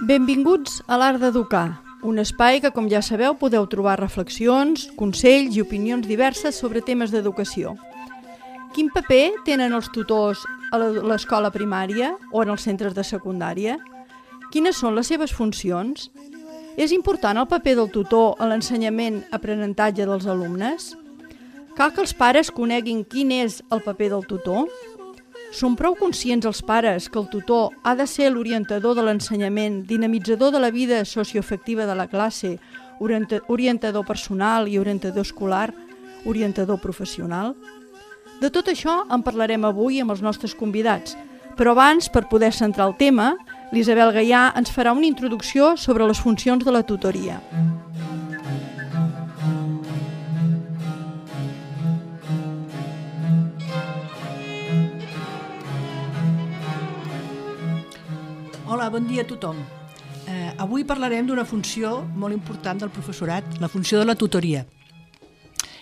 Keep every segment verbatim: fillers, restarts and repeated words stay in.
Benvinguts a l'Art d'Educar, un espai que, com ja sabeu, podeu trobar reflexions, consells i opinions diverses sobre temes d'educació. Quin paper tenen els tutors a l'escola primària o en els centres de secundària? Quines són les seves funcions? És important el paper del tutor en l'ensenyament-aprenentatge dels alumnes? Cal que els pares coneguin quin és el paper del tutor? Són prou conscients els pares que el tutor ha de ser l'orientador de l'ensenyament, dinamitzador de la vida socioafectiva de la classe, orientador personal i orientador escolar, orientador professional? De tot això en parlarem avui amb els nostres convidats, però abans, per poder centrar el tema, l'Isabel Gaià ens farà una introducció sobre les funcions de la tutoria. Hola, bon dia a tothom. Eh, avui parlarem d'una funció molt important del professorat, la funció de la tutoria.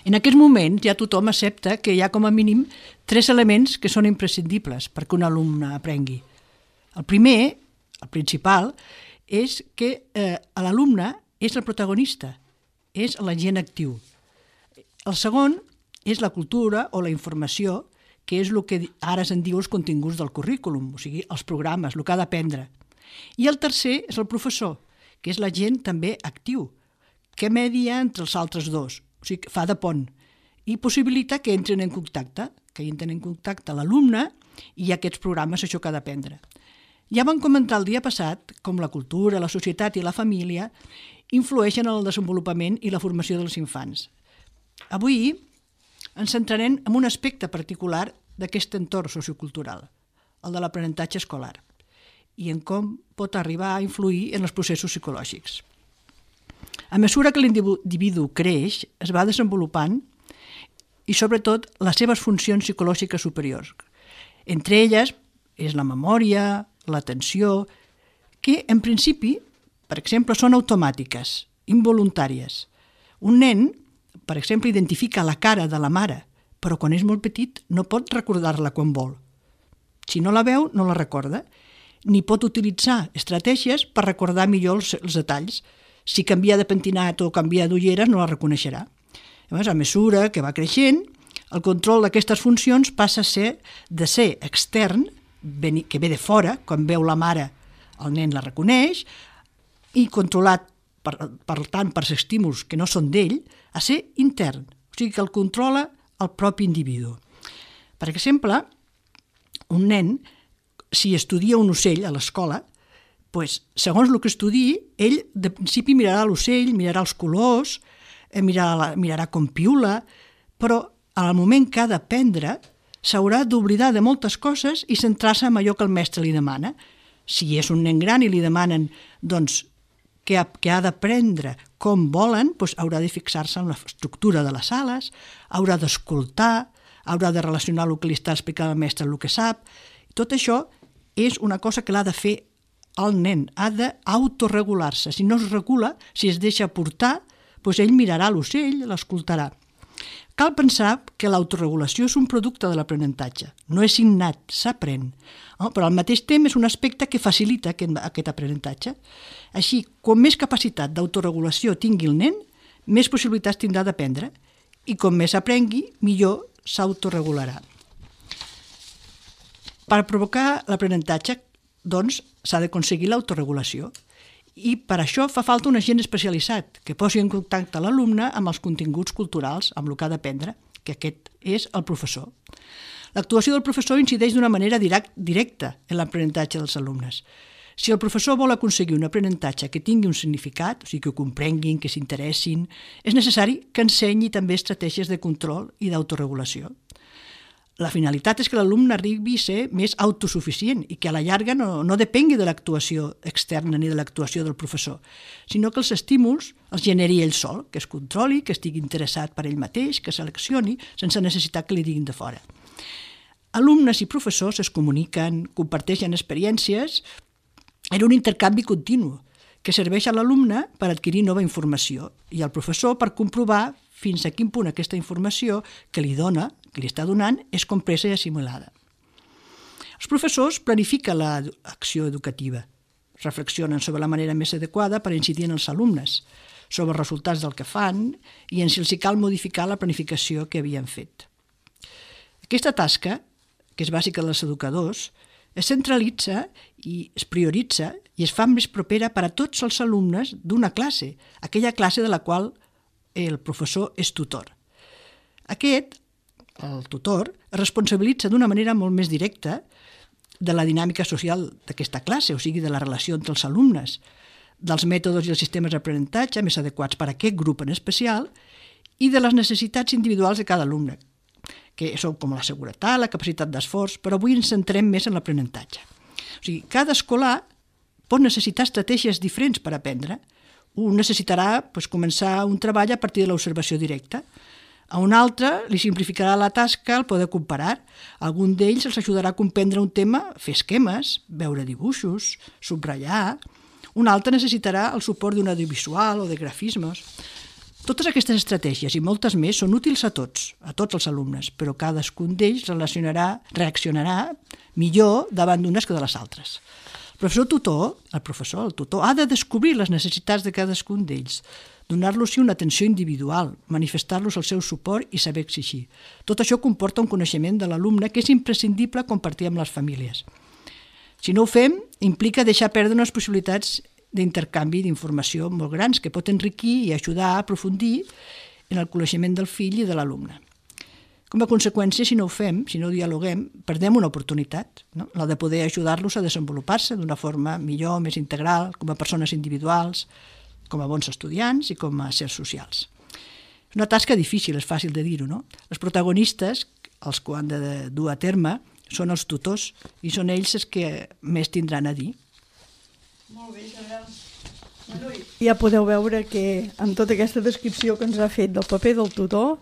En aquests moments ja tothom accepta que hi ha com a mínim tres elements que són imprescindibles perquè un alumne aprengui. El primer, el principal, és que eh, l'alumne és el protagonista, és l'agent actiu. El segon és la cultura o la informació, que és el que ara se'n diu els continguts del currículum, o sigui, els programes, el que ha d'aprendre. I el tercer és el professor, que és l'agent també actiu, que media entre els altres dos, o sigui, fa de pont, i possibilita que entren en contacte, que entren en contacte l'alumne i aquests programes, això que ha d'aprendre. Ja vam comentar el dia passat com la cultura, la societat i la família influeixen en el desenvolupament i la formació dels infants. Avui ens centrarem en un aspecte particular d'aquest entorn sociocultural, el de l'aprenentatge escolar, i en com pot arribar a influir en els processos psicològics. A mesura que l'individu creix, es va desenvolupant i, sobretot, les seves funcions psicològiques superiors. Entre elles és la memòria, l'atenció, que, en principi, per exemple, són automàtiques, involuntàries. Un nen, per exemple, identifica la cara de la mare, però quan és molt petit no pot recordar-la quan vol. Si no la veu, no la recorda, ni pot utilitzar estratègies per recordar millor els, els detalls. Si canvia de pentinat o canvia d'ulleres, no la reconeixerà. Llavors, a mesura que va creixent, el control d'aquestes funcions passa a ser de ser extern, que ve de fora, quan veu la mare, el nen la reconeix, i controlat, per, per tant, per estímuls que no són d'ell, a ser intern, o sigui que el controla el propi individu. Per exemple, un nen, si estudia un ocell a l'escola, doncs, segons el que estudi, ell de principi mirarà l'ocell, mirarà els colors, mirarà, mirarà com piula, però al moment que ha d'aprendre s'haurà d'oblidar de moltes coses i centrar-se en allò que el mestre li demana. Si és un nen gran i li demanen doncs, que ha, que ha d'aprendre com volen, doncs haurà de fixar-se en l'estructura de les sales, haurà d'escoltar, haurà de relacionar el que li està explicant el mestre amb el que sap. Tot això és una cosa que l'ha de fer el nen, ha d'autoregular-se. Si no es regula, si es deixa portar, doncs ell mirarà l'ocell, l'escoltarà. Cal pensar que l'autoregulació és un producte de l'aprenentatge, no és innat, s'aprèn, però al mateix temps és un aspecte que facilita aquest aprenentatge. Així, com més capacitat d'autoregulació tingui el nen, més possibilitats tindrà d'aprendre, i com més aprengui, millor s'autoregularà. Per provocar l'aprenentatge, doncs, s'ha d'aconseguir l'autoregulació. I per això fa falta un agent especialitzat que posi en contacte l'alumne amb els continguts culturals, amb el que ha d'aprendre, que aquest és el professor. L'actuació del professor incideix d'una manera directa en l'aprenentatge dels alumnes. Si el professor vol aconseguir un aprenentatge que tingui un significat, o sigui, que ho comprenguin, que s'interessin, és necessari que ensenyi també estratègies de control i d'autoregulació. La finalitat és que l'alumne arribi a ser més autosuficient i que a la llarga no, no depengui de l'actuació externa ni de l'actuació del professor, sinó que els estímuls els generi ell sol, que es controli, que estigui interessat per ell mateix, que seleccioni, sense necessitat que li diguin de fora. Alumnes i professors es comuniquen, comparteixen experiències en un intercanvi continu que serveix a l'alumne per adquirir nova informació i al professor per comprovar fins a quin punt aquesta informació que li dona, que li està donant, és compresa i assimilada. Els professors planifiquen l'acció educativa, reflexionen sobre la manera més adequada per incidir en els alumnes, sobre els resultats del que fan i en si els cal modificar la planificació que havien fet. Aquesta tasca, que és bàsica dels educadors, es centralitza i es prioritza i es fa més propera per a tots els alumnes d'una classe, aquella classe de la qual el professor és tutor. Aquest, el tutor, es responsabilitza d'una manera molt més directa de la dinàmica social d'aquesta classe, o sigui, de la relació entre els alumnes, dels mètodes i els sistemes d'aprenentatge més adequats per a aquest grup en especial i de les necessitats individuals de cada alumne, que són com la seguretat, la capacitat d'esforç, però avui ens centrem més en l'aprenentatge. O sigui, cada escolar pot necessitar estratègies diferents per aprendre. Un necessitarà doncs, començar un treball a partir de l'observació directa. A un altre li simplificarà la tasca el poder comparar. Algun d'ells els ajudarà a comprendre un tema, fer esquemes, veure dibuixos, subratllar. Un altre necessitarà el suport d'un audiovisual o de grafismes. Totes aquestes estratègies i moltes més són útils a tots, a tots els alumnes, però cadascun d'ells relacionarà, reaccionarà millor davant d'unes que de les altres. El professor tutor, el professor, el tutor, ha de descobrir les necessitats de cadascun d'ells, donar-los una atenció individual, manifestar-los el seu suport i saber exigir. Tot això comporta un coneixement de l'alumne que és imprescindible compartir amb les famílies. Si no ho fem, implica deixar perdre unes possibilitats d'intercanvi d'informació molt grans que pot enriquir i ajudar a aprofundir en el coneixement del fill i de l'alumne. Com a conseqüència, si no ho fem, si no ho dialoguem, perdem una oportunitat, no? La de poder ajudar-los a desenvolupar-se d'una forma millor, més integral, com a persones individuals, com a bons estudiants i com a éssers socials. És una tasca difícil, és fàcil de dir-ho, no? Els protagonistes, els que ho han de dur a terme, són els tutors i són ells els que més tindran a dir. Molt bé, Isabel. Ja podeu veure que amb tota aquesta descripció que ens ha fet del paper del tutor,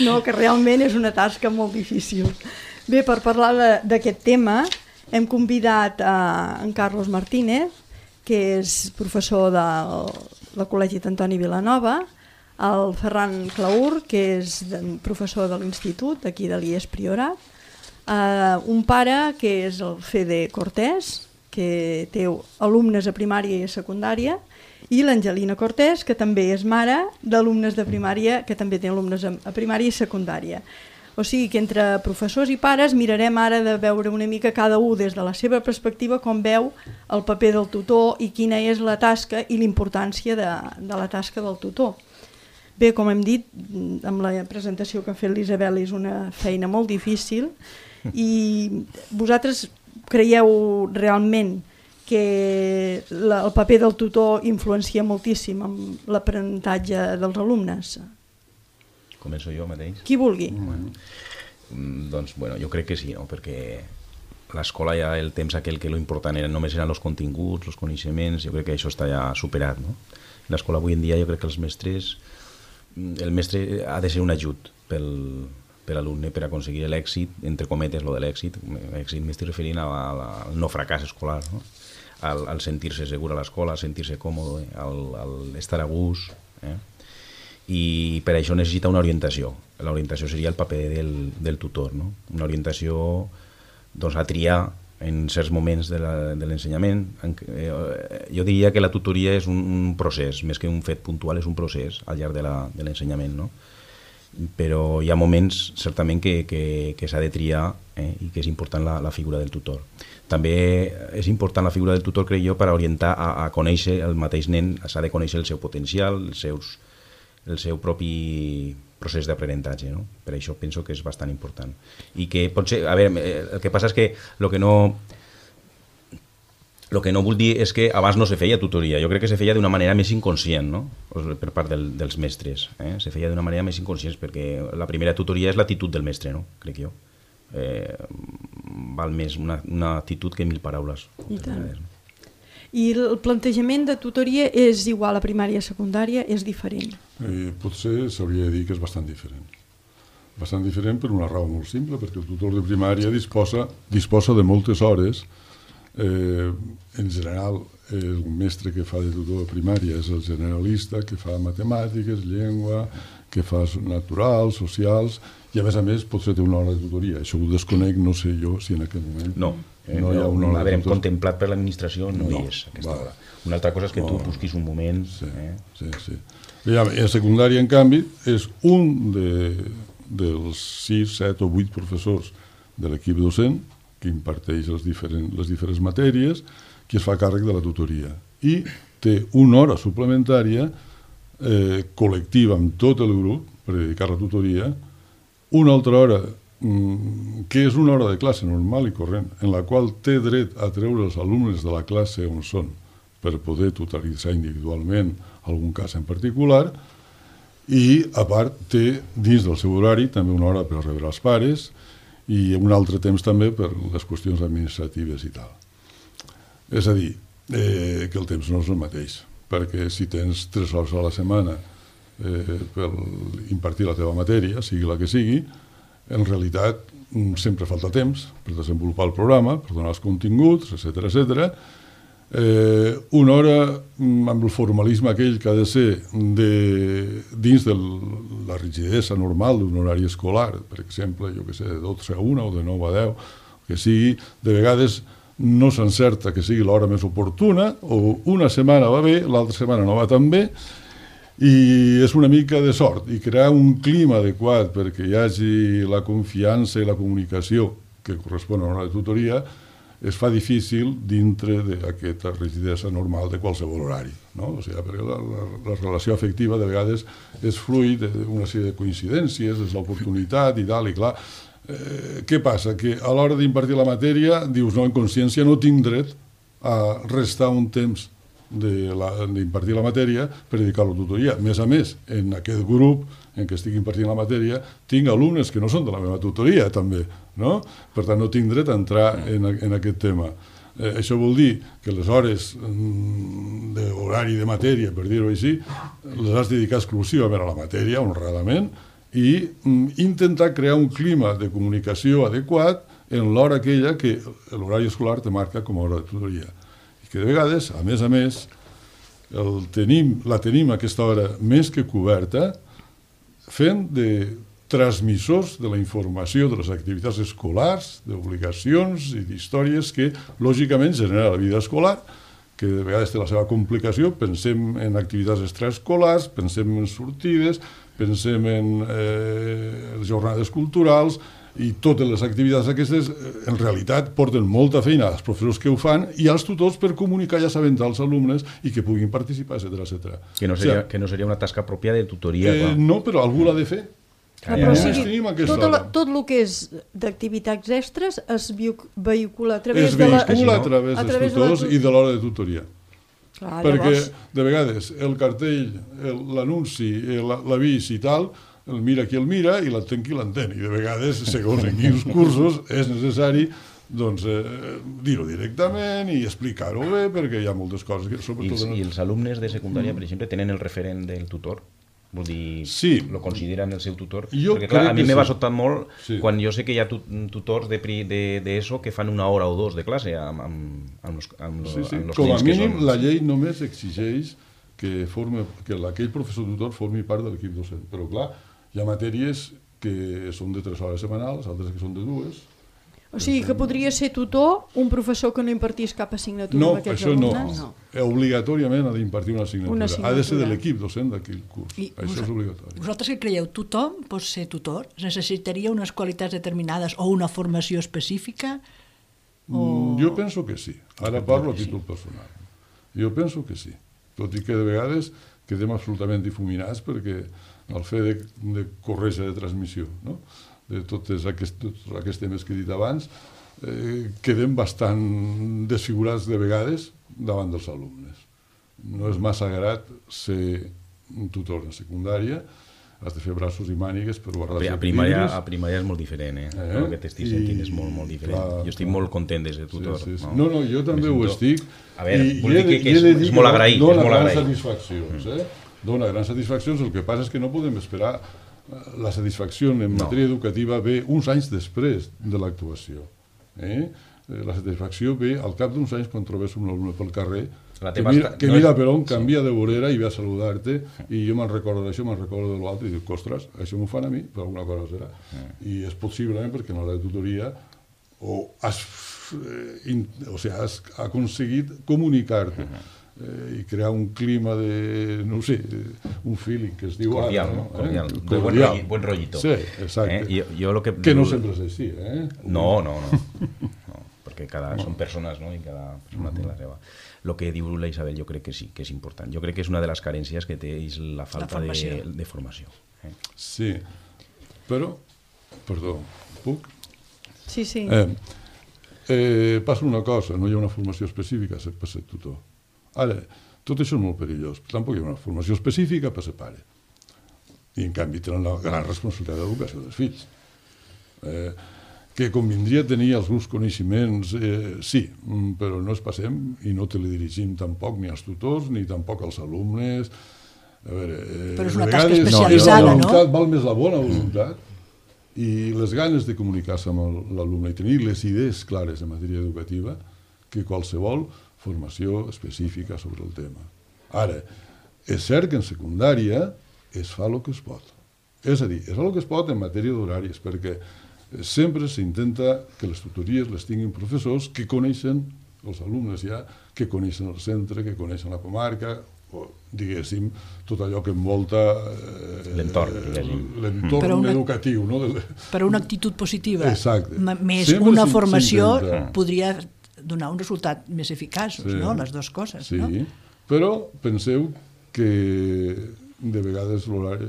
no, que realment és una tasca molt difícil. Bé, per parlar d'aquest tema hem convidat a en Carlos Martínez, que és professor del Col·legi d'Antoni Vilanova, el Ferran Claur, que és professor de l'Institut, aquí de l'I E S Priorat, uh, un pare que és el Fede Cortés, que té alumnes a primària i a secundària, i l'Angelina Cortés, que també és mare d'alumnes de primària, que també té alumnes a primària i secundària. O sigui que entre professors i pares mirarem ara de veure una mica cada un des de la seva perspectiva com veu el paper del tutor i quina és la tasca i l'importància de, de la tasca del tutor. Bé, com hem dit, amb la presentació que ha fet l'Isabel és una feina molt difícil i vosaltres creieu realment que la, el paper del tutor influencia moltíssim amb l'aprenentatge dels alumnes? Començo jo mateix? Qui vulgui. Bueno, doncs, bueno, jo crec que sí, no? Perquè l'escola ja el temps aquell que lo important era, només eren els continguts, els coneixements, jo crec que això està ja superat, no? L'escola avui en dia jo crec que els mestres, el mestre ha de ser un ajut pel, per l'alumne per aconseguir l'èxit, entre cometes, lo de l'èxit, èxit m'estic referint a la, a la, al no fracàs escolar, no? Al, al sentir-se segur a l'escola, al sentir-se còmode, al, al estar a gust, eh? I per això necessita una orientació. L'orientació seria el paper del, del tutor, no? Una orientació doncs, a triar en certs moments de l'ensenyament. Jo diria que la tutoria és un, un procés, més que un fet puntual, és un procés al llarg de l'ensenyament, no? Però hi ha moments certament que, que, que s'ha de triar eh, i que és important la, la figura del tutor. També és important la figura del tutor, crec jo, per orientar a, a conèixer el mateix nen, s'ha de conèixer el seu potencial, els seus, el seu propi procés d'aprenentatge, no? Per això penso que és bastant important. I que pot ser, a veure, el que passa és que el que no... El que no vull dir és que abans no se feia tutoria, jo crec que se feia d'una manera més inconscient, no? Per part del, dels mestres, eh? Se feia d'una manera més inconscient perquè la primera tutoria és l'actitud del mestre, no? Crec jo. Eh, val més una, una actitud que mil paraules. I tant. I el plantejament de tutoria és igual a primària i a secundària, és diferent? Eh, potser s'hauria de dir que és bastant diferent. Bastant diferent per una raó molt simple, perquè el tutor de primària disposa, disposa de moltes hores Eh, en general, el mestre que fa de tutor de primària és el generalista, que fa matemàtiques, llengua, que fa naturals, socials, i a més a més potser té una hora de tutoria. Això ho desconec, no sé jo si en aquest moment no, eh, no hi ha una no, hora de tutor. Contemplat per l'administració no, no hi és aquesta va. hora. Una altra cosa és que no. tu busquis un moment... Sí, eh? sí, sí. I a secundària, en canvi, és un de, dels sis, set o vuit professors de l'equip docent que imparteix les diferents, les diferents matèries, qui es fa càrrec de la tutoria. I té una hora suplementària eh, col·lectiva amb tot el grup per dedicar a la tutoria, una altra hora mm, que és una hora de classe normal i corrent, en la qual té dret a treure els alumnes de la classe on són per poder tutoritzar individualment algun cas en particular, i a part té dins del seu horari també una hora per rebre els pares i un altre temps també per les qüestions administratives i tal. És a dir, eh, que el temps no és el mateix, perquè si tens tres hores a la setmana eh, per impartir la teva matèria, sigui la que sigui, en realitat sempre falta temps per desenvolupar el programa, per donar els continguts, etcètera, etcètera. Eh, una hora amb el formalisme aquell que ha de ser de, dins de la rigidesa normal d'un horari escolar, per exemple, jo que sé, de dotze a una o de nou a deu, que sigui, de vegades no s'encerta que sigui l'hora més oportuna, o una setmana va bé, l'altra setmana no va tan bé, i és una mica de sort, i crear un clima adequat perquè hi hagi la confiança i la comunicació que correspon a l'hora de tutoria, es fa difícil dintre d'aquesta rigidesa normal de qualsevol horari. No? O sigui, perquè la, la, la relació afectiva de vegades és fruit d'una sèrie de coincidències, és l'oportunitat i tal, i clar, eh, què passa? Que a l'hora d'impartir la matèria dius, no, en consciència no tinc dret a restar un temps d'impartir la, la matèria per dedicar-lo a tutoria. A més a més, en aquest grup en què estic impartint la matèria, tinc alumnes que no són de la meva tutoria, també, no? Per tant, no tinc dret a entrar en, en aquest tema. Eh, això vol dir que les hores mm, d'horari de matèria, per dir-ho així, les has de dedicar exclusivament a la matèria, honradament, i mm, intentar crear un clima de comunicació adequat en l'hora aquella que l'horari escolar te marca com a hora de tutoria. I que de vegades, a més a més, el tenim, la tenim aquesta hora més que coberta, fent de transmissors de la informació de les activitats escolars, d'obligacions i d'històries que, lògicament, genera la vida escolar, que de vegades té la seva complicació. Pensem en activitats extraescolars, pensem en sortides, pensem en eh, jornades culturals, i totes les activitats aquestes, en realitat, porten molta feina als professors que ho fan i als tutors per comunicar i assabentar als alumnes i que puguin participar, etcètera, etcètera. Que no seria, o sigui, que no seria una tasca pròpia de tutoria. Eh, no, però algú l'ha de fer. Ah, però o sigui, tot, la, tot el que és d'activitats extres es vehicula a través es de la... Es vehicula a través a dels través tutors de la... i de l'hora de tutoria. Clar, perquè, llavors... de vegades, el cartell, l'anunci, l'avís i tal, el mira qui el mira i l'entén qui l'entén. I de vegades, segons en quins cursos, és necessari doncs, eh, dir-ho directament i explicar-ho bé, perquè hi ha moltes coses que... I, els, I els alumnes de secundària, per exemple, tenen el referent del tutor? Vol dir, sí. Lo consideren el seu tutor? Jo perquè, clar, a mi me sí. va sobtar molt sí. quan jo sé que hi ha tutors d'ESO de, de, de que fan una hora o dos de classe amb, amb, amb els, amb sí, sí. amb els Com a mínim, són... la llei només exigeix que, forme, que aquell professor tutor formi part de l'equip docent. Però, clar, hi ha matèries que són de tres hores setmanals, altres que són de dues. O sigui, que podria ser tutor un professor que no impartís cap assignatura no, amb aquests això alumnes? No, no. Obligatòriament ha d'impartir una assignatura. una assignatura. Ha de ser de l'equip docent d'aquell curs. I això vos, és obligatori. Vosaltres què creieu? Tothom pot ser tutor? Necessitaria unes qualitats determinades o una formació específica? O... Jo penso que sí. Ara parlo a títol personal. Jo penso que sí. Tot i que de vegades quedem absolutament difuminats perquè el fet de, de corretja de transmissió, no? de tots aquests, tots aquests temes que he dit abans, eh, quedem bastant desfigurats de vegades davant dels alumnes. No és massa grat ser un tutor en secundària, has de fer braços i mànigues per guardar els a primària, a primària és molt diferent, eh? eh? El que t'estic sentint és molt, molt diferent. Clar, jo estic clar. molt content de ser tutor. Sí, sí, sí. No? no, no, jo també ho estic. A veure, i, vull dir que, que és, és molt agraït. Dóna és molt grans agraït. satisfaccions, eh? Dóna grans satisfaccions, el que passa és que no podem esperar. La satisfacció en matèria no. educativa ve uns anys després de l'actuació. Eh? la satisfacció ve al cap d'uns anys quan trobes un alumne pel carrer que teva mira, està... que no mira és... per on, canvia de vorera i ve a saludar-te, i jo me'n recordo d'això, me'n recordo de l'altre, i dic, ostres, això m'ho fan a mi, per alguna cosa serà. I és possiblement perquè en l'hora de tutoria o has, eh, in, o sigui, has aconseguit comunicar-te eh, i crear un clima de, no sé, un feeling que es diu cordial, ara, no? Eh? Cordial, de cordial. buen, rolli, buen rollito. Sí, exacte. Eh? Jo, jo lo que... que no sempre és així, eh? No, no, no. no perquè cada, no. són persones, no? I cada persona té la seva. El que diu la Isabel jo crec que sí, que és important. Jo crec que és una de les carències que té és la falta la de, de formació. Eh? Sí, però, perdó, puc? Sí, sí. Eh, eh, passa una cosa, no hi ha una formació específica per ser tutor. Ara, tot això és molt perillós, tampoc hi ha una formació específica per ser pare. I en canvi tenen la gran responsabilitat d'educació dels fills. Eh, que convindria tenir els seus coneixements, eh, sí, però no es passem i no teledirigim tampoc ni als tutors ni tampoc als alumnes. A veure, eh, però és una tasca especialitzada, no? no? Val més la bona voluntat i les ganes de comunicar-se amb l'alumne i tenir les idees clares en matèria educativa que qualsevol formació específica sobre el tema. Ara, és cert que en secundària es fa el que es pot. És a dir, es fa el que es pot en matèria d'horaris, perquè sempre s'intenta que les tutories les tinguin professors que coneixen els alumnes ja, que coneixen el centre, que coneixen la comarca, o, diguéssim, tot allò que envolta eh, l'entorn, l'entorn una, educatiu. No? Per una actitud positiva, exacte. més sempre una formació podria donar un resultat més eficaç, sí, no? Les dues coses. Sí, no? Però penseu que de vegades l'horari,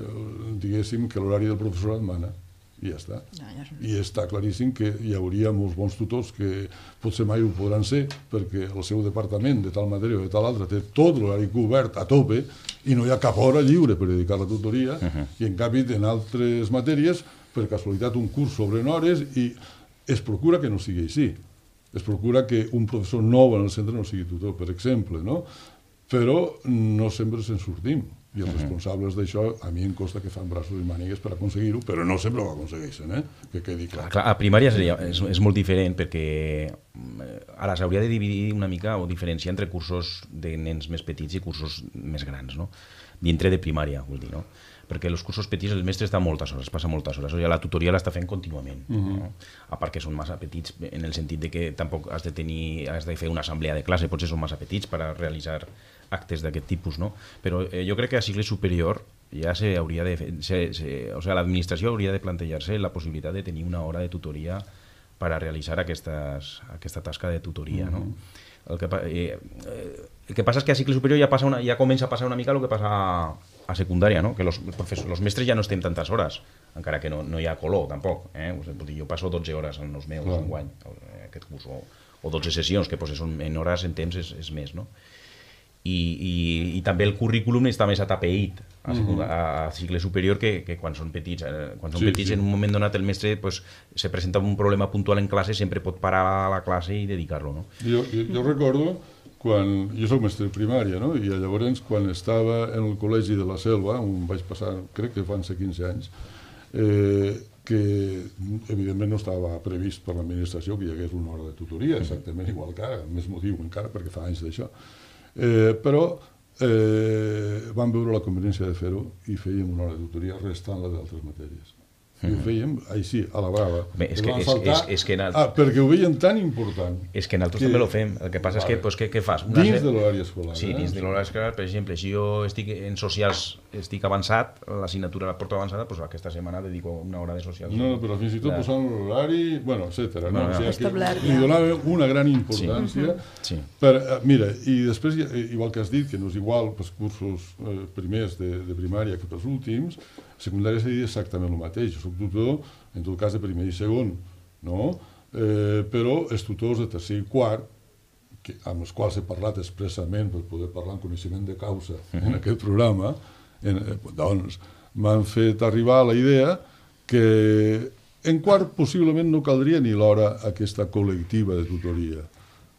diguéssim que l'horari del professorat mana. I ja està. Ja, ja. I està claríssim que hi hauria molts bons tutors que potser mai ho podran ser perquè el seu departament de tal matèria o de tal altra té tot l'horari cobert a tope i no hi ha cap hora lliure per dedicar a la tutoria uh -huh. i en canvi en altres matèries per casualitat un curs s'obren hores i es procura que no sigui així. Es procura que un professor nou en el centre no sigui tutor, per exemple, no? Però no sempre se'n sortim. I els responsables d'això, a mi em costa que fan braços i mànigues per aconseguir-ho, però no sempre ho aconsegueixen, eh? Que quedi clar. Clar, a primària seria, és, és molt diferent perquè ara s'hauria de dividir una mica o diferenciar entre cursos de nens més petits i cursos més grans, no? Dintre de primària, vull dir, no? Perquè els cursos petits el mestre està moltes hores, passa moltes hores, o sigui, la tutoria l'està fent contínuament, uh -huh. no? A part que són massa petits en el sentit de que tampoc has de tenir, has de fer una assemblea de classe, potser són massa petits per a realitzar actes d'aquest tipus, no? Però eh, jo crec que a cicle superior ja se hauria de fer, se, se, o sigui, l'administració hauria de plantejar-se la possibilitat de tenir una hora de tutoria per a realitzar aquestes, aquesta tasca de tutoria, uh -huh. no? El que, eh, el que passa és que a cicle superior ja, passa una, ja comença a passar una mica el que passa a, a secundària, no? Que els los mestres ja no estem tantes hores, encara que no, no hi ha color tampoc, eh? Jo passo dotze hores en els meus en guany, aquest curs, o, o dotze sessions, que potser són en hores, en temps és, és més, no? I, i, i també el currículum està més atapeït a, uh-huh. a, a cicle superior que, que quan són petits. Eh? Quan són sí, petits, sí. En un moment donat el mestre pues, se presenta un problema puntual en classe, sempre pot parar la classe i dedicar-lo. No? Jo, jo, jo recordo, quan jo soc mestre de primària, no? I llavors quan estava en el col·legi de la Selva, on vaig passar, crec que van ser quinze anys, eh, que evidentment no estava previst per l'administració que hi hagués una hora de tutoria, exactament igual que ara, més motiu encara, perquè fa anys d'això. Eh, però eh, vam veure la conveniència de fer-ho i fèiem una hora de tutoria restant la d'altres matèries. I ho fèiem així, a la brava. Bé, és que, és, és, és que alt... ah, perquè ho veien tan important. És que nosaltres que... també ho fem. El que passa vale. és que, pues, què, què fas? Una dins de l'horari escolar. Sí, dins eh? de l'horari escolar. Per exemple, si jo estic en socials, estic avançat, l'assignatura la porto avançada, doncs aquesta setmana dedico una hora de socials. No, però fins i tot la... posant l'horari, bueno, etcètera. No, no, no. O sigui, establert, li donava una gran importància. Sí. Per, mira, i després, igual que has dit, que no és igual pels cursos eh, primers de, de primària que pels últims, secundària seria exactament el mateix. Jo soc tutor, en tot cas de primer i segon, no? Eh, però els tutors de tercer i quart, que, amb els quals he parlat expressament per poder parlar en coneixement de causa uh-huh. en aquest programa, en, eh, doncs m'han fet arribar a la idea que en quart possiblement no caldria ni l'hora aquesta col·lectiva de tutoria,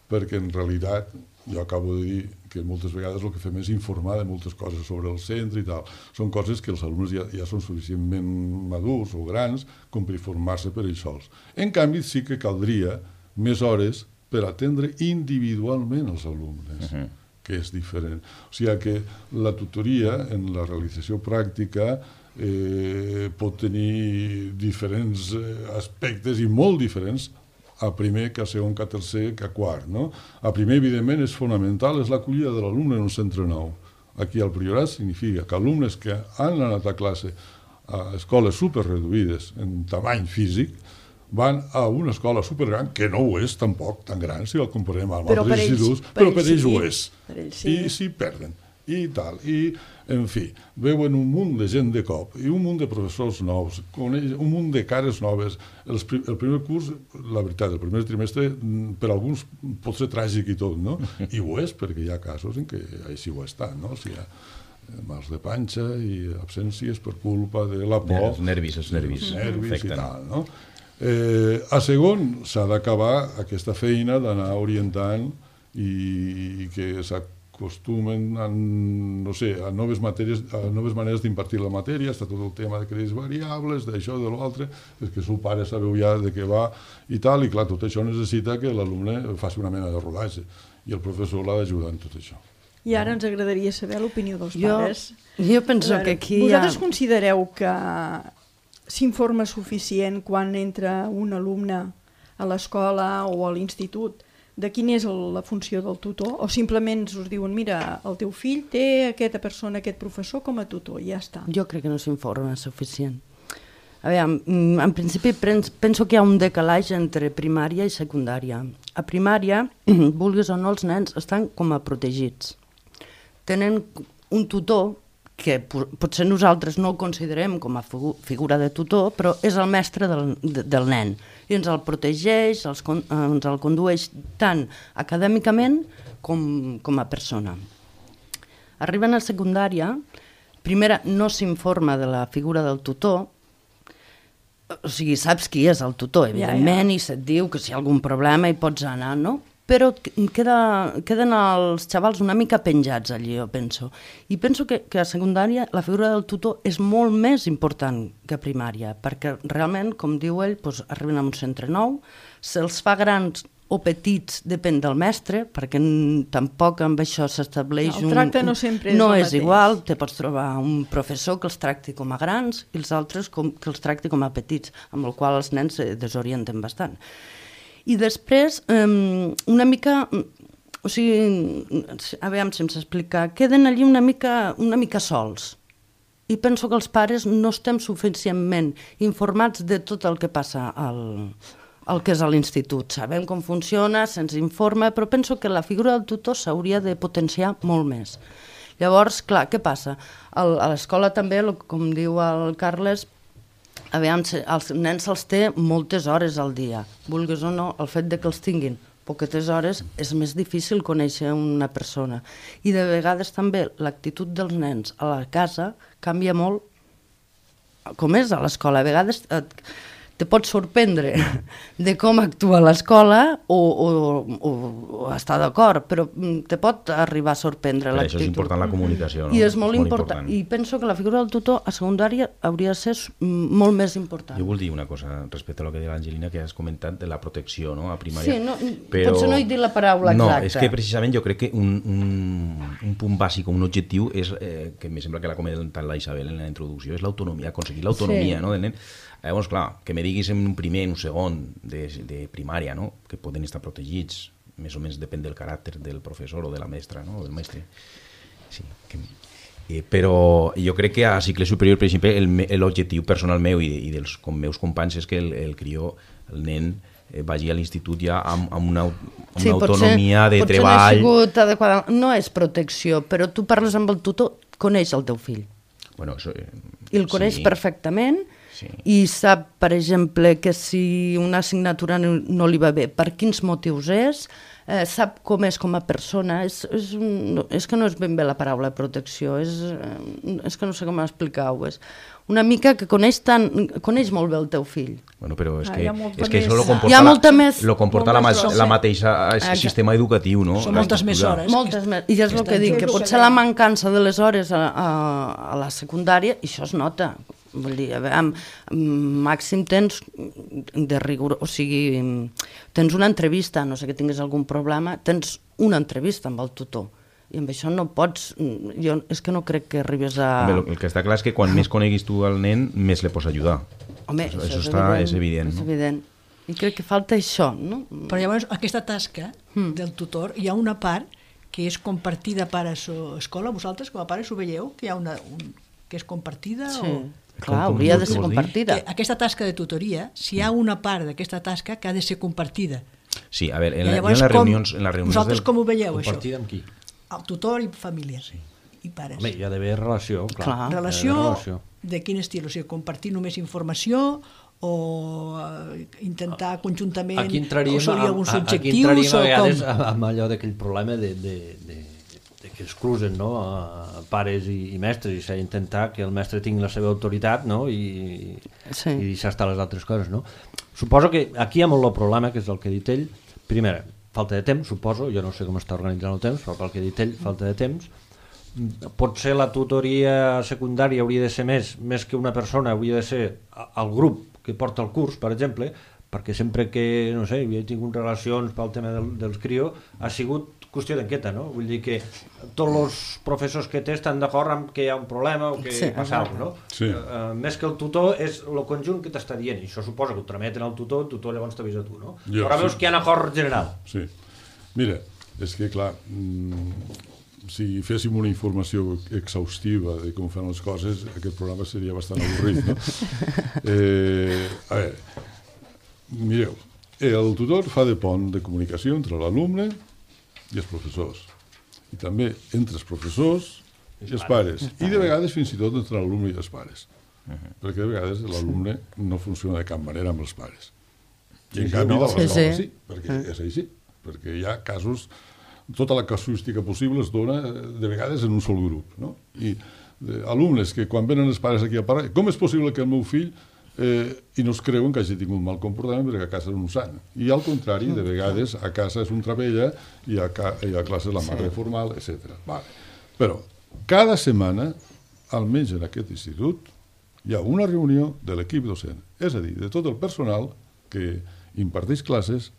perquè en realitat jo acabo de dir que moltes vegades el que fem és informar de moltes coses sobre el centre i tal. Són coses que els alumnes ja, ja són suficientment madurs o grans com per informar-se per ells sols. En canvi, sí que caldria més hores per atendre individualment els alumnes, uh-huh. que és diferent. O sigui que la tutoria en la realització pràctica eh, pot tenir diferents aspectes i molt diferents a primer, que a segon, que a tercer, que a quart. No? A primer, evidentment, és fonamental, és l'acollida de l'alumne en un centre nou. Aquí al Priorat significa que alumnes que han anat a classe a escoles superreduïdes en tamany físic van a una escola supergran, que no ho és tampoc tan gran si el comparem amb altres instituts, però per ells ho és. I s'hi perden. I tal, i, en fi, veuen un munt de gent de cop, i un munt de professors nous, un munt de cares noves. El, el primer curs, la veritat, el primer trimestre, per alguns pot ser tràgic i tot, no? I ho és, perquè hi ha casos en què així ho està, no? O sigui, hi ha mals de panxa i absències per culpa de la por. Els nervis, els nervis. Els nervis i tal, no? Eh, a segon, s'ha d'acabar aquesta feina d'anar orientant i, i que s'acostumen a, no sé, a noves matèries, a noves maneres d'impartir la matèria. Està tot el tema de crèdits variables, d'això, de l'altre, perquè el seu pare sabeu ja de què va i tal, i clar, tot això necessita que l'alumne faci una mena de rodatge i el professor l'ha d'ajudar en tot això. I ara ens agradaria saber l'opinió dels jo, pares. Jo penso veure, que aquí vosaltres hi ha... considereu que s'informa suficient quan entra un alumne a l'escola o a l'institut de quina és el, la funció del tutor? O simplement us diuen, mira, el teu fill té aquesta persona, aquest professor com a tutor, i ja està? Jo crec que no s'informa suficient. A veure, en principi penso que hi ha un decalatge entre primària i secundària. A primària, vulguis o no, els nens estan com a protegits. Tenen un tutor que potser nosaltres no el considerem com a figura de tutor, però és el mestre del, del nen. I ens el protegeix, els, ens el condueix tant acadèmicament com, com a persona. Arriben a secundària, primera no s'informa de la figura del tutor, o sigui, saps qui és el tutor, evidentment, ja, ja. I se't diu que si hi ha algun problema hi pots anar, no? Però queda, queden els xavals una mica penjats allí, jo penso. I penso que, que a secundària la figura del tutor és molt més important que a primària, perquè realment, com diu ell, doncs, arriben a un centre nou, se'ls fa grans o petits, depèn del mestre, perquè tampoc amb això s'estableix un... El tracte no sempre és no el és mateix. Igual, te pots trobar un professor que els tracti com a grans i els altres com, que els tracti com a petits, amb el qual els nens se desorienten bastant. I després, um, una mica, o sigui, a veure si em s'explica, queden allí una mica, una mica sols. I penso que els pares no estem suficientment informats de tot el que passa al, al que és a l'institut. Sabem com funciona, se'ns informa, però penso que la figura del tutor s'hauria de potenciar molt més. Llavors, clar, què passa? El, a l'escola també, com diu el Carles, a veure, els nens se'ls té moltes hores al dia. Vulguis o no, el fet de que els tinguin poquetes hores és més difícil conèixer una persona. I de vegades també l'actitud dels nens a la casa canvia molt, com és a l'escola. A vegades et, te pots sorprendre de com actua l'escola o, o, o, o estar d'acord, però te pot arribar a sorprendre per l'actitud. Això és important la comunicació, no? I és molt, és molt important. important. I penso que la figura del tutor a secundària hauria de ser molt més important. Jo vull dir una cosa respecte a lo que deia l'Angelina, que has comentat de la protecció, no?, a primària. Sí, no, però... potser no he dit la paraula no, exacta. No, és que precisament jo crec que un, un, un punt bàsic, un objectiu, és, eh, que em sembla que l'ha comentat la Isabel en la introducció, és l'autonomia, aconseguir l'autonomia, sí. No, del nen. Llavors, clar, que me diguis en un primer, en un segon de, de primària, no?, que poden estar protegits, més o menys depèn del caràcter del professor o de la mestra, no?, o del mestre. Sí, que... eh, però jo crec que a cicle superior, per exemple, l'objectiu personal meu i, i dels com meus companys és que el, el crió, el nen, eh, vagi a l'institut ja amb, amb una, amb sí, una autonomia potser, de potser treball. No, ha sigut adequada. No és protecció, però tu parles amb el tutor, coneix el teu fill. Bueno, això, eh, I el coneix sí. perfectament. Sí. I sap, per exemple, que si una assignatura no, no li va bé, per quins motius és, eh, sap com és com a persona, és, és, un, és que no és ben bé la paraula protecció, és, és que no sé com explicar-ho, és una mica que coneix, tant, coneix molt bé el teu fill. Bueno, però és ah, que, és que més... això lo comporta, hi ha molta més... lo comporta la, ma la mateixa el sistema educatiu, no? Són moltes més hores. Moltes més, i és el que dic, que potser la mancança de les hores a, a, a la secundària, i això es nota. Vull dir, a veure, amb, amb màxim tens de rigor, o sigui, tens una entrevista, no sé que tinguis algun problema, tens una entrevista amb el tutor. I amb això no pots... Jo és que no crec que arribes a... Home, el que està clar és que quan més coneguis tu al nen, més le pots ajudar. Home, això, això això és, està, evident, és evident. És no? evident. I crec que falta això, no? Però llavors, aquesta tasca mm. del tutor, hi ha una part que és compartida pares-escola. Vosaltres, com a pares, ho veieu? Que hi ha una... Un, que és compartida? Sí, o... clar, com, hauria com, de ser compartida. Que aquesta tasca de tutoria, si hi ha una part d'aquesta tasca que ha de ser compartida. Sí, a veure, en, I la, llavors, en les com, reunions... En les reunions vosaltres del... com ho veieu, això? Compartida amb qui? El tutor i família. Sí. I pares. Home, hi ha d'haver relació, clar. Clar. Relació, relació de quin estil? O sigui, compartir només informació o uh, intentar conjuntament aquí entraríem, o solir alguns a, objectius aquí entraríem a o vegades com? amb allò d'aquell problema de, de, de, de que es cruzen, no? A pares i, i mestres, i s'ha d'intentar que el mestre tingui la seva autoritat, no? I, sí. i deixar estar les altres coses, no? Suposo que aquí hi ha molt el problema, que és el que ha dit ell. Primera, falta de temps, suposo, jo no sé com està organitzant el temps, però pel que ha dit ell, falta de temps. Potser la tutoria secundària hauria de ser més, més que una persona, hauria de ser el grup que porta el curs, per exemple, perquè sempre que, no sé, havia tingut relacions pel tema del, dels crios, ha sigut qüestió d'enquesta, no? Vull dir que tots els professors que té estan d'acord amb que hi ha un problema o que sí, passa alguna cosa, no? Sí. Uh, més que el tutor és el conjunt que t'està dient, i això suposa que ho trameten al tutor, el tutor llavors t'avisa tu, no? Jo, però veus sí. que hi ha un acord general. Sí. Mira, és que, clar, mmm, si féssim una informació exhaustiva de com fan les coses, aquest programa seria bastant avorrit, no? Eh, a veure, mireu, el tutor fa de pont de comunicació entre l'alumne i els professors, i també entre els professors i els pares, i de vegades fins i tot entre l'alumne i els pares, perquè de vegades l'alumne no funciona de cap manera amb els pares. I en canvi, de l'escola sí, sí, perquè és així, perquè hi ha casos, tota la casuística possible es dona de vegades en un sol grup, no? I eh, alumnes que quan venen els pares aquí a parlar, com és possible que el meu fill eh, i no es creuen que hagi tingut mal comportament perquè a casa és un sant. I al contrari, de vegades a casa és un travella i a, ca i a classe és la mare formal, etcètera. Vale. Però cada setmana, almenys en aquest institut, hi ha una reunió de l'equip docent, és a dir, de tot el personal que imparteix classes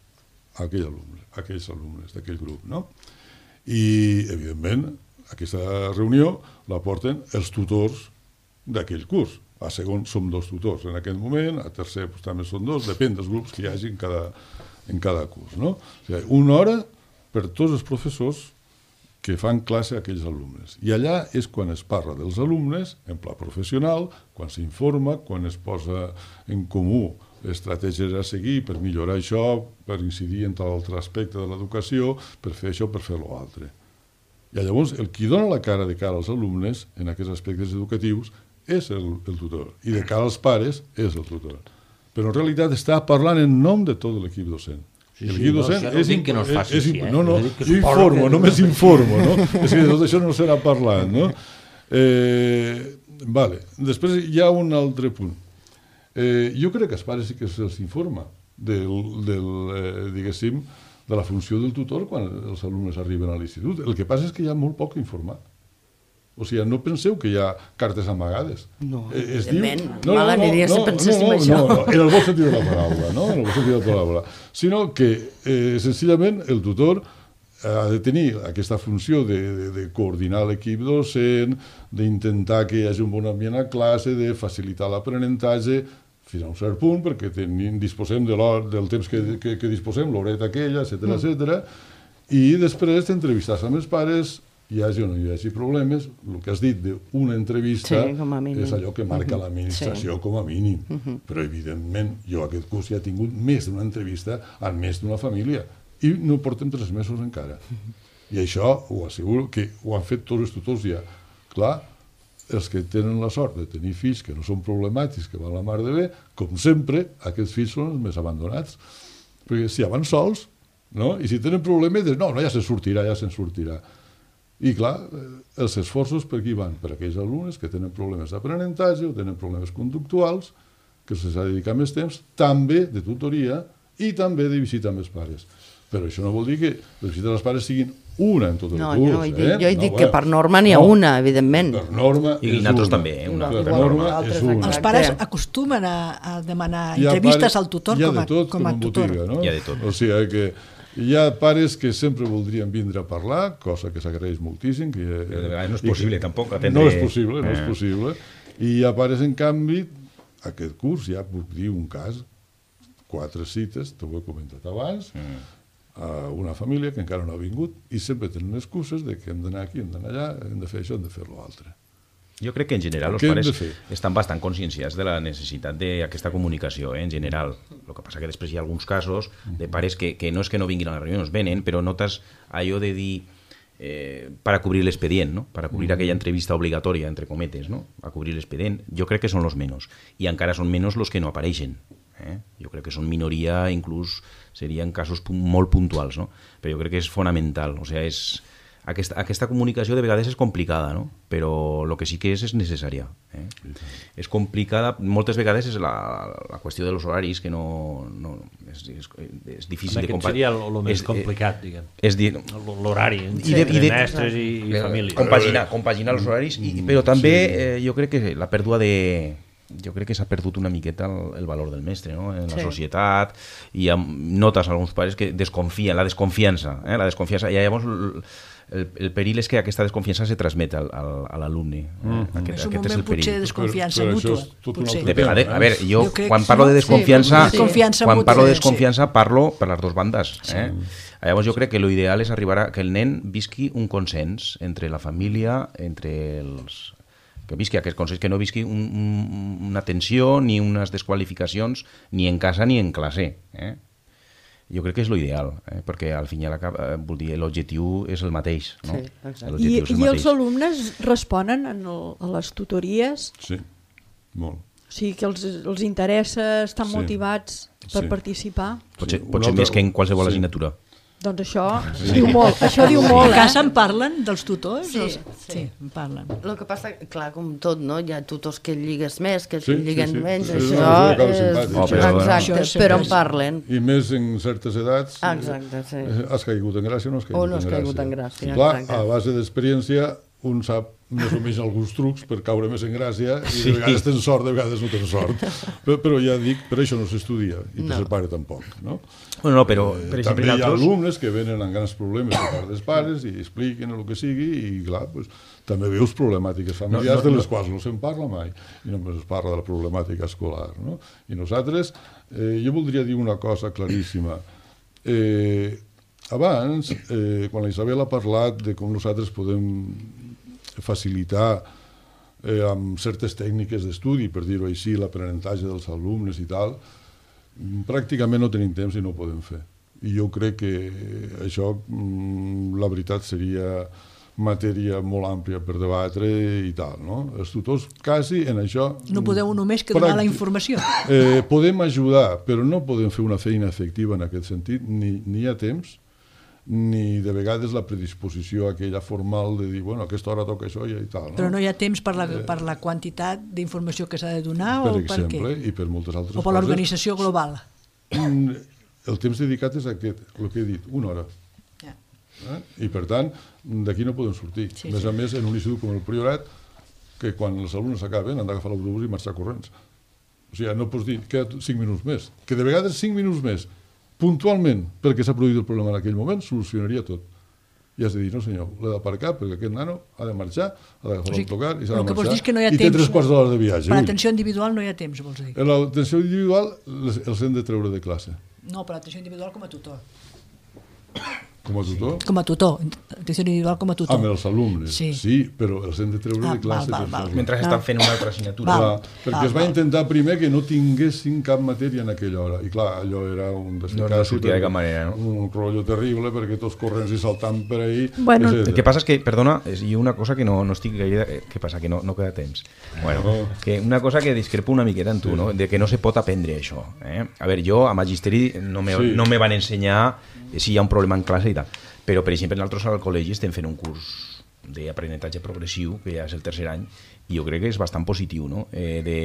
a aquell alumne, a aquells alumnes d'aquell grup, no? I, evidentment, aquesta reunió la porten els tutors d'aquell curs. A segon som dos tutors en aquest moment, a tercer pues, també són dos, depèn dels grups que hi hagi en cada, en cada curs, no? O sigui, una hora per tots els professors que fan classe a aquells alumnes. I allà és quan es parla dels alumnes, en pla professional, quan s'informa, quan es posa en comú estratègies a seguir per millorar això, per incidir en tal altre aspecte de l'educació, per fer això, per fer l'altre. I llavors el qui dona la cara de cara als alumnes en aquests aspectes educatius és el, el tutor, i de cara als pares és el tutor. Però en realitat està parlant en nom de tot l'equip docent. Sí, l'equip sí, docent no, no és, dic que no es faci és, així, eh? no, no, Jo dic que jo suposo informo, que- només informo, no? És que de tot això no serà parlant, no? Eh, vale. Després hi ha un altre punt. Eh, jo crec que els pares sí que se'ls informa del, del eh, diguéssim, de la funció del tutor quan els alumnes arriben a l'institut. El que passa és que hi ha molt poc informat. O sigui, no penseu que hi ha cartes amagades. No, Eh, es evidentment. Mal aniria si penséssim no, això. No, no, en el bon sentit de la paraula, no? En el bon sentit de la paraula. Sinó que, eh, senzillament, el tutor ha de tenir aquesta funció de, de, de coordinar l'equip docent, d'intentar que hi hagi un bon ambient a classe, de facilitar l'aprenentatge, fins a un cert punt, perquè tenim, disposem de del temps que, que, que disposem, l'horeta aquella, etcètera, mm. etcètera, i després d'entrevistar-se amb els pares, hi hagi o no hi hagi problemes, el que has dit d'una entrevista Sí, com a mínim. és allò que marca uh -huh. l'administració sí. com a mínim. Uh -huh. Però, evidentment, jo aquest curs ja he tingut més d'una entrevista amb més d'una família i no portem tres mesos encara. Uh -huh. I això ho asseguro que ho han fet tots els tutors ja. Clar, els que tenen la sort de tenir fills que no són problemàtics, que van la mar de bé, com sempre, aquests fills són els més abandonats. Perquè si ja van sols, no? I si tenen problemes, no, no, ja se'n sortirà, ja se'n sortirà. I clar, els esforços per qui van? Per aquells alumnes que tenen problemes d'aprenentatge o tenen problemes conductuals, que se'ls ha de dedicar més temps, també de tutoria i també de visita amb els pares. Però això no vol dir que les visites als pares siguin una en tot el No, curs. jo no he dit, eh? jo he no, dit bueno, que per norma n'hi ha no, una, evidentment. Per norma I és nosaltres una. també, eh? Una, per igual, norma nosaltres és una. exacte. Els pares acostumen a, a demanar Hi ha entrevistes pares- al tutor hi ha com a, de tot, com a en tutor. botiga, no? Hi ha de tot. O sigui que hi ha pares que sempre voldrien vindre a parlar, cosa que s'agraeix moltíssim. Que, Però de vegades no és i que- possible, tampoc, atendre- No és possible, no és Eh. possible. I hi ha pares, en canvi, aquest curs, ja puc dir un cas, quatre cites, t'ho he comentat abans, Mm. a una família que encara no ha vingut i sempre tenen excuses de que hem d'anar aquí, hem d'anar allà, hem de fer això, hem de fer l'altre. Jo crec que en general els Què hem pares de fer? estan bastant conscienciats de la necessitat d'aquesta comunicació, eh, en general. El que passa que després hi ha alguns casos de pares que, que no és que no vinguin a les reunions, venen, però notes allò de dir eh, para cubrir l'expedient, ¿no? Para cubrir aquella entrevista obligatoria, entre cometes, ¿no? A cubrir l'expedient. Jo crec que són los menos. I encara són menos los que no apareixen. Eh? Jo crec que són minoria, inclús serien casos pu- molt puntuals, no? Però jo crec que és fonamental. O sigui, és... Aquesta, aquesta comunicació de vegades és complicada, no? Però el que sí que és és necessària. Eh? És complicada, moltes vegades és la, la qüestió dels horaris, que no, no és, és, és difícil Home, de aquest seria el, el més és- complicat, diguem. És dir, L'horari I entre de- i de- mestres i, i eh, família. compaginar, compaginar els horaris, i, però també eh, jo crec que la pèrdua de... Jo crec que s'ha perdut una miqueta el, el valor del mestre, no? En la Sí. societat, i amb, notes alguns pares que desconfien, la desconfiança, eh? la desconfiança, i llavors el, el, el perill és que aquesta desconfiança se transmet al, al, a l'alumne. Eh? Mm. Aquest, És un aquest és moment el perill. potser de desconfiança Però- però mútua. això és tot un potser. altre De vegades, a veure, jo, Jo crec quan que parlo sí, de no? desconfiança, Sí, desconfiança quan mútua, parlo de sí. desconfiança parlo per les dues bandes. Eh? Llavors jo crec que l'ideal és arribar a que el nen visqui un consens entre la família, entre els... que visqui aquest consens, que no visqui un, un, una tensió ni unes desqualificacions ni en casa ni en classe. Eh? Jo crec que és l'ideal, eh? perquè al fin i al cap, eh, vol dir, l'objectiu és el mateix. No? Sí, exacte. I, L'objectiu és el I mateix. els alumnes responen en el, a les tutories? Sí, molt. O sigui, que els, els interessa, estan Sí. motivats per Sí. participar? Potser, Sí, potser una més altra- que en qualsevol sí. assignatura. Doncs això diu molt, això diu molt, A eh? casa en parlen dels tutors? Sí, Els- sí. sí, en parlen. El que passa, clar, com tot, no? Hi ha tutors que lligues més, que Sí, sí, lliguen sí. menys, Sí, això sí, acaba és... simpàtic. Oh, però- Exacte, Això sempre però en és- parlen. I més en certes edats. Ah, exacte, sí. eh, Has caigut en gràcia o no has caigut O no has en gràcia? caigut en gràcia, Clar, exacte. a base d'experiència un sap més o menys alguns trucs per caure més en gràcia i Sí. de vegades tens sort, de vegades no tens sort. Però, però ja dic, per això no s'estudia i per No. ser pare tampoc. No? Bueno, no, però, per Eh, exemple, També hi ha nosaltres... alumnes que venen amb grans problemes per part dels pares i expliquen el que sigui i clar, pues, també veus problemàtiques familiars No, no, de les no. quals no se'n parla mai i només es parla de la problemàtica escolar. No? I nosaltres, eh, jo voldria dir una cosa claríssima. Eh, abans, eh, quan la Isabel ha parlat de com nosaltres podem facilitar eh, amb certes tècniques d'estudi, per dir-ho així, l'aprenentatge dels alumnes i tal, mm, pràcticament no tenim temps i no ho podem fer. I jo crec que això, mm, la veritat, seria matèria molt àmplia per debatre i tal, no? Els tutors quasi en això... No podeu només que donar la pràctic- informació. Eh, podem ajudar, però no podem fer una feina efectiva en aquest sentit, ni, ni hi ha temps, ni de vegades la predisposició aquella formal de dir, bueno, a aquesta hora toca això i tal. No? Però no hi ha temps per la, per la quantitat d'informació que s'ha de donar Per o per exemple, què? i per moltes altres O per coses. l'organització global. Mm, El temps dedicat és aquest, el que he dit, una hora. Ja. Eh? I per tant, d'aquí no podem sortir. Sí, a més sí. a més, en un institut com el Priorat, que quan els alumnes s'acaben han d'agafar l'autobús i marxar corrents. O sigui, no pots dir, queda cinc minuts més. Que de vegades cinc minuts més, puntualment, perquè s'ha produït el problema en aquell moment, solucionaria tot. I has de dir, no senyor, l'he d'aparcar perquè aquest nano ha de marxar, ha d'agafar O sigui, l'autocar i s'ha el de que vols marxar. dir és que no hi ha I té temps. tres quarts d'hora de viatge. Per ui. l'atenció individual no hi ha temps, vols dir? En l'atenció individual les- els hem de treure de classe. No, per l'atenció individual com a tutor. Com a tutor? Com a tutor. Atenció individual com a tutor. Amb els alumnes, Sí. sí, però els hem de treure Ah, de classe. val, val, per val. fer-lo. Mentre estan fent una altra assignatura. Val. Clar, perquè val, es va val. intentar primer que no tinguessin cap matèria en aquella hora. I clar, allò era un No, no sortia de cap manera, no? Un rotllo terrible, perquè tots corrents i saltant per ahí. Bueno, etcètera. El que passa és que, perdona, és i una cosa que no, no estic gaire... eh, Què passa? Que no, no queda temps. Bueno, No. que una cosa que discrepo una miqueta en tu, no? De que no se pot aprendre això. Eh? A veure, jo a Magisteri no me, Sí. no me van ensenyar si hi ha un problema en classe i tal. Però, per exemple, nosaltres al col·legi estem fent un curs d'aprenentatge progressiu, que ja és el tercer any, i jo crec que és bastant positiu, no? Eh, de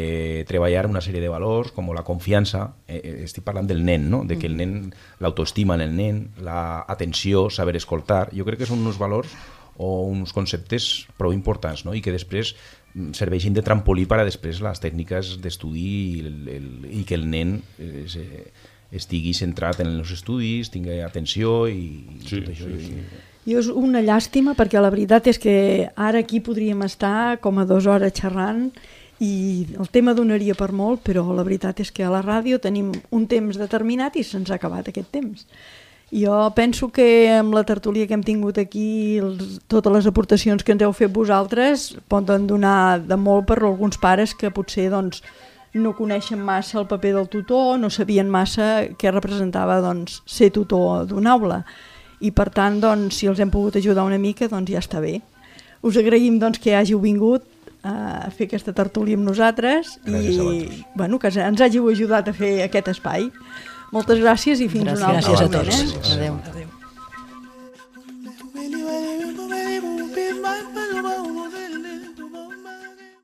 treballar una sèrie de valors com la confiança, eh, estic parlant del nen, no? De que el nen, l'autoestima en el nen, l'atenció, saber escoltar, jo crec que són uns valors o uns conceptes prou importants, no? I que després serveixin de trampolí per a després les tècniques d'estudi i, el, el, i que el nen es, estigui centrat en els estudis, tingui atenció i sí, tot això. Sí, sí. I és una llàstima perquè la veritat és que ara aquí podríem estar com a dues hores xerrant i el tema donaria per molt, però la veritat és que a la ràdio tenim un temps determinat i se'ns ha acabat aquest temps. Jo penso que amb la tertúlia que hem tingut aquí, els, totes les aportacions que ens heu fet vosaltres poden donar de molt per a alguns pares que potser doncs, no coneixen massa el paper del tutor, no sabien massa què representava doncs, ser tutor d'una aula. I per tant, doncs, si els hem pogut ajudar una mica, doncs ja està bé. Us agraïm doncs, que hàgiu vingut a fer aquesta tertúlia amb nosaltres i bueno, que ens hàgiu ajudat a fer aquest espai. Moltes gràcies i fins gràcies, una altra. Gràcies a tots. Eh? Adéu.